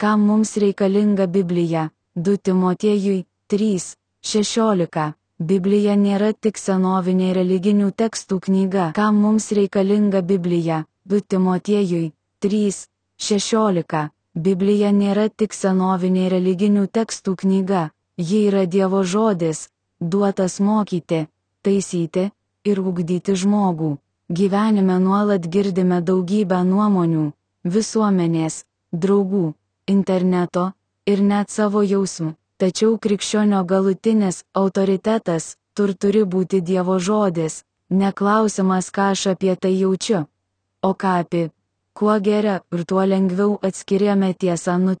Kam mums reikalinga Biblija? 2 Timotiejui 3:16. Biblija nėra tik senovinė religinių tekstų knyga. Kam mums reikalinga Biblija? 2 Timotiejui 3:16. Biblija nėra tik senovinė religinių tekstų knyga, ji yra Dievo žodis, duotas mokyti, taisyti ir ugdyti žmogų. Gyvenime nuolat girdime daugybę nuomonių, visuomenės, draugų, interneto ir net savo jausmų. Tačiau krikščionio galutinis autoritetas turi būti Dievo žodis, neklausimas, ką aš apie tai jaučiu, o ką apie. Kuo geriau ir tuo lengviau atskiriame tiesą nuo